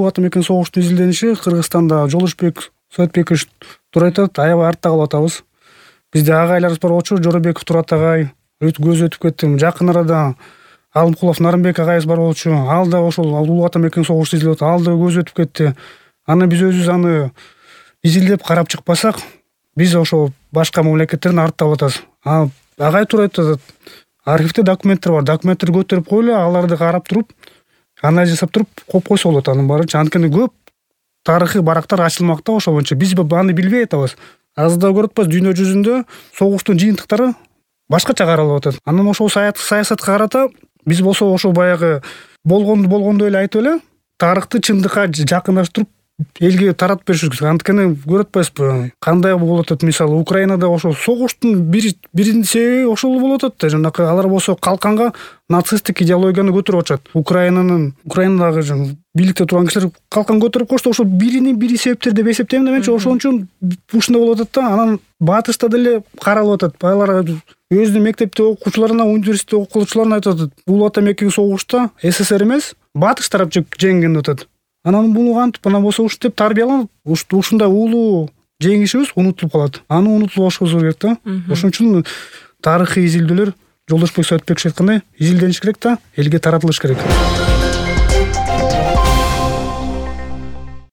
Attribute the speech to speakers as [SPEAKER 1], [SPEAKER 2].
[SPEAKER 1] Улуу ата мекен согуштун изилдениши Кыргызстанда Жолушбек Советбекович Турайтат аябай артта калып атабыз. Бизде агайларыбыз бар болчу, Жоробеков Турат агай көз өтүп кетти. Жакын арада Алымкулов Нарымбек агайыбыз бар болчу. Ал да ошол улуу ата мекен согушту изилдеп атат. Ал да көз өтүп кетти. Аны биз өзүбүз аны изилдеп карап чыкпасак, биз ошол башка мамлекеттерден артта калып атабыз. Агай туура айтат. Архивде документтер бар. Документтерди көтөрүп койлу, аларды карап туруп, анализ жасап туруп коюп койсо болот анын баарынча. Анткени көп тарыхый барактар ачылмакта ошол боюнча. Биз аны билбей атабыз. Азырда көрүп атпайбыз, дүйнө жүзүндө согуштун жыйынтыктары башкача каралып атат. Анан ошол саясатка карата биз болсо ошол баягы болгондой эле айтып эле тарыхты чындыкка жакындаштырып элге таратып беришибиз керек. Анткени көрүп атпайсызбы, кандай болуп атат. Мисалы Украинада ошол согуштун биринчи себеби ошол болуп атат да. Жанакы алар болсо калканга нацисттик идеологияны көтөрүп атышат. Украинадагы бийликте турган кишилер калкан көтөрүп койсо ошол бири себептер деп эсептейм да менчи. Ошон үчүн ушундай болуп атат да. Анан батышта деле каралып атат. Алар өзүнүн мектепте окуучуларына, университетте окуучуларына айтып атат. Улуу ата мекен согушта СССР эмес, батыш тарап жеңген деп атат. Анан буну кантип анан болсо ушинтип тарбияланып, ушундай улуу жеңишибиз унутулуп калат. Аны унутуп алышыбыз керек да. Ошон үчүн тарыхый изилдөөлөр Жолдошбек Советбекович айткандай изилдениш керек да, элге таратылыш керек.